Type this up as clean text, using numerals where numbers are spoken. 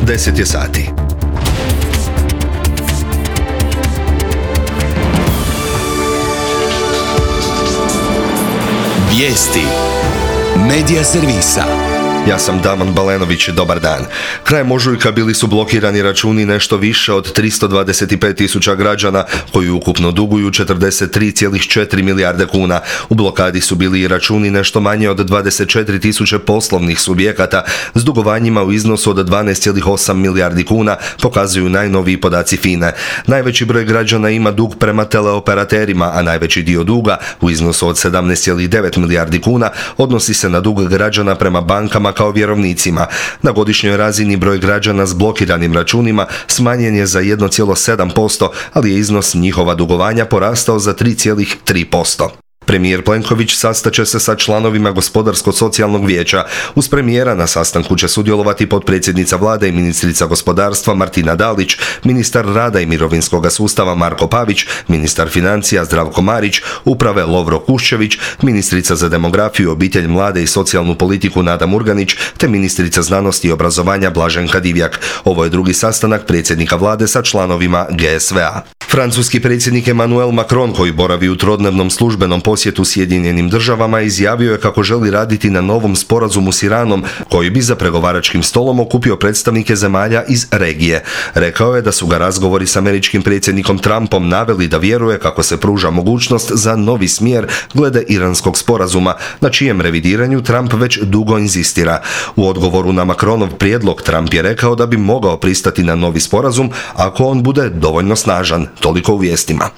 10 je sati. Vijesti Medija servisa. Ja sam Damon Balenović, dobar dan. Krajem ožujka bili su blokirani računi nešto više od 325.000 građana koji ukupno duguju 43,4 milijarde kuna. U blokadi su bili i računi nešto manje od 24.000 poslovnih subjekata s dugovanjima u iznosu od 12,8 milijardi kuna, pokazuju najnoviji podaci FINA-e. Najveći broj građana ima dug prema teleoperaterima, a najveći dio duga u iznosu od 17,9 milijardi kuna odnosi se na dug građana prema bankama kao vjerovnicima. Na godišnjoj razini broj građana s blokiranim računima smanjen je za 1,7%, ali je iznos njihova dugovanja porastao za 3,3%. Premijer Plenković sastaće se sa članovima Gospodarsko-socijalnog vijeća. Uz premijera na sastanku će sudjelovati potpredsjednica vlade i ministrica gospodarstva Martina Dalić, ministar rada i mirovinskog sustava Marko Pavić, ministar financija Zdravko Marić, uprave Lovro Kuščević, ministrica za demografiju, obitelj, mlade i socijalnu politiku Nada Murganić, te ministrica znanosti i obrazovanja Blaženka Divjak. Ovo je drugi sastanak predsjednika vlade sa članovima GSV-a. Francuski predsjednik Emmanuel Macron, koji boravi u trodnevnom službenom posjetu Sjedinjenim državama, izjavio je kako želi raditi na novom sporazumu s Iranom, koji bi za pregovaračkim stolom okupio predstavnike zemalja iz regije. Rekao je da su ga razgovori s američkim predsjednikom Trumpom naveli da vjeruje kako se pruža mogućnost za novi smjer glede iranskog sporazuma, na čijem revidiranju Trump već dugo inzistira. U odgovoru na Macronov prijedlog Trump je rekao da bi mogao pristati na novi sporazum ako on bude dovoljno snažan. Toliko u vijestima.